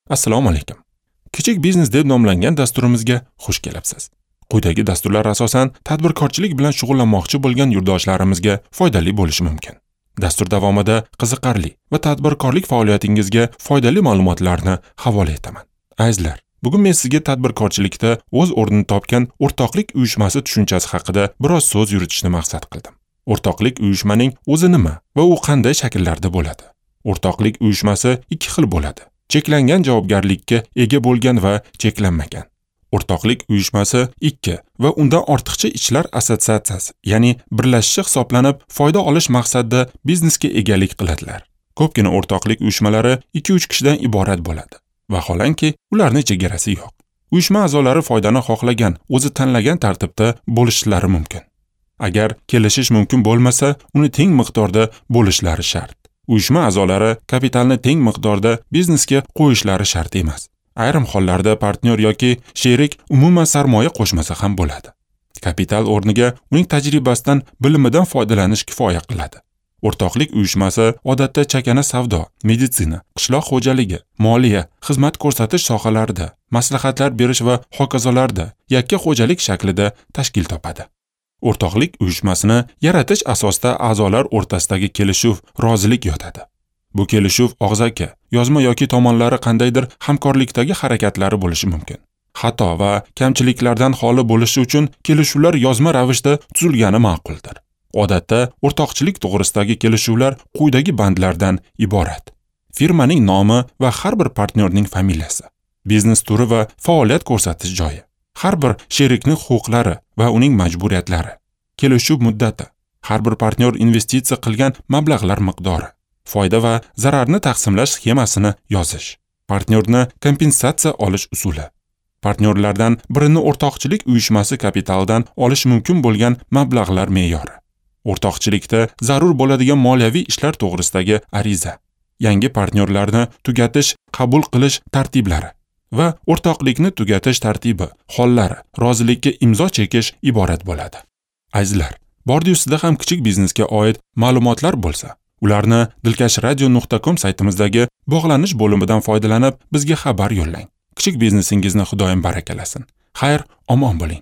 Assalomu alaykum. Kichik biznes deb nomlangan dasturimizga xush kelibsiz. Quyidagi dasturlar asosan tadbirkorchilik bilan shug'ullanmoqchi bo'lgan yurtdoshlarimizga foydali bo'lishi mumkin. Dastur davomida qiziqarli va tadbirkorlik faoliyatingizga foydali ma'lumotlarni havola etaman. Azizlar, bugun men sizga tadbirkorchilikda o'z o'rnini topgan o'rtoqlik uyushmasi tushunchasi haqida biroz so'z yuritishni maqsad qildim. O'rtoqlik uyushmaning o'zi nima va u qanday shakllarda bo'ladi? O'rtoqlik uyushmasi ikki xil bo'ladi. Cheklangan javobgarlikka ega bo'lgan va cheklanmagan. O'rtoqlik uyushmasi ikki va undan ortiqcha ishlar assotsiatsiyasi, ya'ni birlashishi hisoblanib, foyda olish maqsadida biznesga egalik qiladilar. Ko'pgina o'rtoqlik uyushmalari 2-3 kishidan iborat bo'ladi. Vaholanki, ularning chegarasi yo'q. Uyushma a'zolari foydani xohlagan, o'zi tanlagan tartibda bo'lishlari mumkin. Agar kelishish mumkin bo'lmasa, uni teng miqdorda bo'lishlari shart. Uyushma a'zolari kapitalni teng miqdorda biznesga qo'yishlari shart emas. Ayrim hollarda partnyor yoki sherik umuman sarmoya qo'shmasa ham bo'ladi. Kapital o'rniga uning tajribasidan, bilimidan foydalanish kifoya qiladi. O'rtoqlik uyushmasi odatda chakana savdo, meditsina, qishloq xo'jaligi, moliya, xizmat ko'rsatish sohalarida, maslahatlar berish va hokazolarda yakka xo'jalik shaklida tashkil topadi. O'rtoqlik uyushmasini yaratish asosida a'zolar o'rtasidagi kelishuv, rozilik yotadi. Bu kelishuv og'zaki, yozma yoki tomonlari qandaydir hamkorlikdagi harakatlari bo'lishi mumkin. Xato va kamchiliklardan xoli bo'lishi uchun kelishuvlar yozma ravishda tuzilgani ma'quldir. Odatda o'rtoqchilik to'g'risidagi kelishuvlar quyidagi bandlardan iborat: firmaning nomi va har bir partnyorning familiyasi, biznes turi va faoliyat ko'rsatish joyi, har bir sherikning huquqlari va uning majburiyatlari, kelishuv muddati, har bir partnyor investitsiya qilgan mablag'lar miqdori, foyda va zararni taqsimlash sxemasini yozish, partnyorni kompensatsiya olish usuli, partnyorlardan birini o'rtoqchilik uyushmasi kapitalidan olish mumkin bo'lgan mablag'lar me'yori, o'rtoqchilikda zarur bo'ladigan moliyaviy ishlar to'g'risidagi ariza, yangi partnyorlarni tugatish, qabul qilish tartiblari va o'rtoqlikni tugatish tartibi, hollari, rozilikka imzo chekish iborat bo'ladi. Azizlar, bordi ustida ham kichik biznesga oid ma'lumotlar bo'lsa, ularni dilkashradio.com saytimizdagi bog'lanish bo'limidan foydalanib bizga xabar yo'llang. Kichik biznesingizni Xudoyim barakalasin. Xayr, omon bo'ling.